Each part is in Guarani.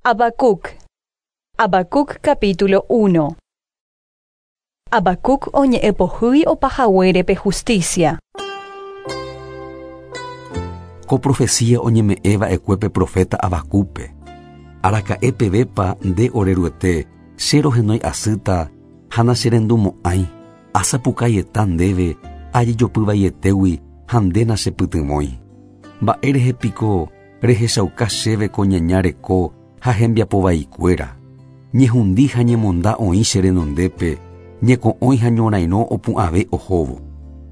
Habacuc. Habacuc capítulo 1. Habacuc oñe'ẽpohýi opahaguére justicia. Ko profecía oñeme'ẽva'ekue pe profeta Habacúpe. Araka'e pevépa nde ore Ruete, che rohenói asýta ha nacherendumo'ãi, asapukaieta ndéve ajejopyvaietégui ha nde nachepytyvõi. Mba'érehe piko rehechauka chéve ko ñaña reko ha hembiapovaikuéra. Ñehundi ha ñemonda oĩ che renondépe, ñeko'õi ha ñorairõ opu'ãve ohóvo.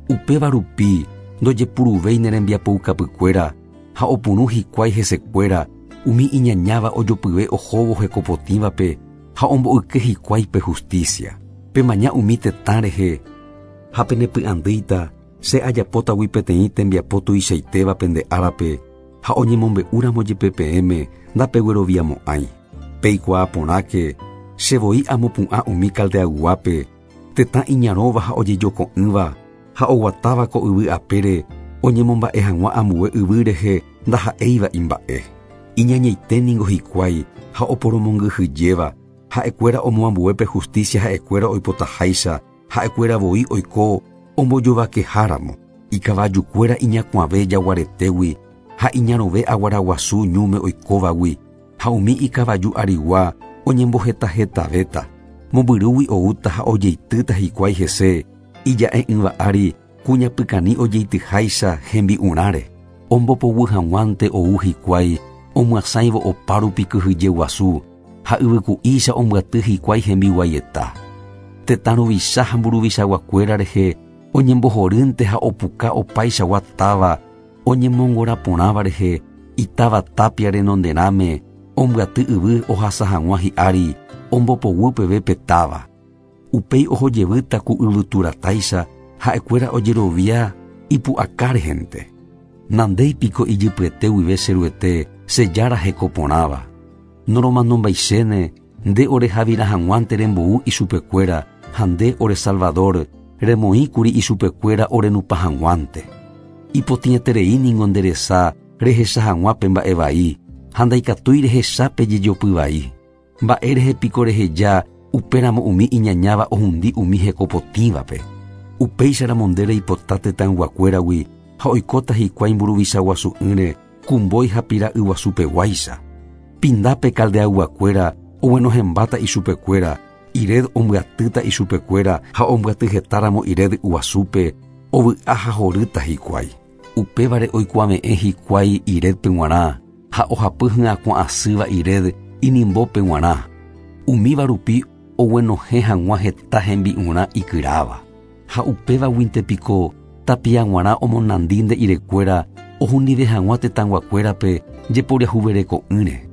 Upéva rupi ndojepuruvéi ne rembiapoukapykuéra ha opurũ hikuái hesekuéra umi iñañáva ojopyve ohóvo hekopotĩvape ha omboyke hikuái pe justicia. Pemaña umi tetã rehe ha penepy'andýita che ajapótagui peteĩ tembiapo tuichaitéva pende árape ha oñemombe'úramo jepe peẽme ndapegueroviamo'ãi. Peikuaa porãke che voi amopu'ã umi Caldeayguápe, tetã iñarõva ha ojejoko'ỹva ha oguatáva ko yvy apére oñemomba'e hag̃ua ambue yvy rehe ndaha'éiva imba'e. Iñañaite ningo hikuái ha oporomongyhyjéva, ha'ekuéra omoambue pe justicia ha'ekuéra oipotaháicha, ha'ekuéra voi oiko ombojovakeháramo. Ikavajukuéra iñakuãve jaguaretégui ha iñarõve aguaraguasu ñúme oikóvagui ha umi ikavaju arigua oñembohetahetavéta. Mombyrýgui oúta ha ojeitýta hikuái hese ija'e'ỹva ári kuñapykani ojeityháicha hembi'urãre. Ombopoguy hag̃uánte ou hikuái omyasãivo opárupi kyhyje guasu ha yvyku'ícha ombyaty hikuái hembiguaieta. Tetã ruvicha ha mburuvichaguakuéra rehe oñembohorýnte ha opuka opaichagua táva oñemongoraporãva rehe itáva tapia renonderãme ombyaty yvy ohasa hag̃ua hi'ári ombopoguy peve pe táva. Upéi ohojevýta ku yvyturatáicha ha'ekuéra ojerovia ipu'aka rehente. Nandéi piko ijypyete guive che Ruete che Jára hekoporãva. Noromanombaichéne nde orehavira hag̃uánte rembou ichupekuéra ha nde ore Salvador remoĩkuri ichupekuéra orenupa hag̃uánte. Ipotĩeterei ningo nde resa rehecha hag̃ua pe mba'e vai ha ndaikatúi rehecha pe jejopy vai. Mba'érehe piko reheja upéramo umi iñañáva ohundi umi hekopotĩvape. Upéicharamo nde reipota tetãyguakuéragui ha oikóta hikuái mburuvichaguasu'ỹre kumbói ha pira'yguasupeguáicha. Pindápe Caldeayguakuéra oguenohẽmbáta ichupekuéra, ired ombyatýta ichupekuéra ha ombyatyhetáramo ired guasúpe ovy'a ha horýta hikuái. Upévare oikuave'ẽ hikuái iredpe g̃uarã ha ohapy hyakuã asýva ired inimbópe g̃uarã. Umíva rupi oguenohẽ hag̃ua heta hembi'urã ikyráva. Ha upévaguinte piko tapia g̃uarã omonandi nde irekuéra ohundive hag̃ua tetãyguakuérape jeporiahuvereko'ỹre.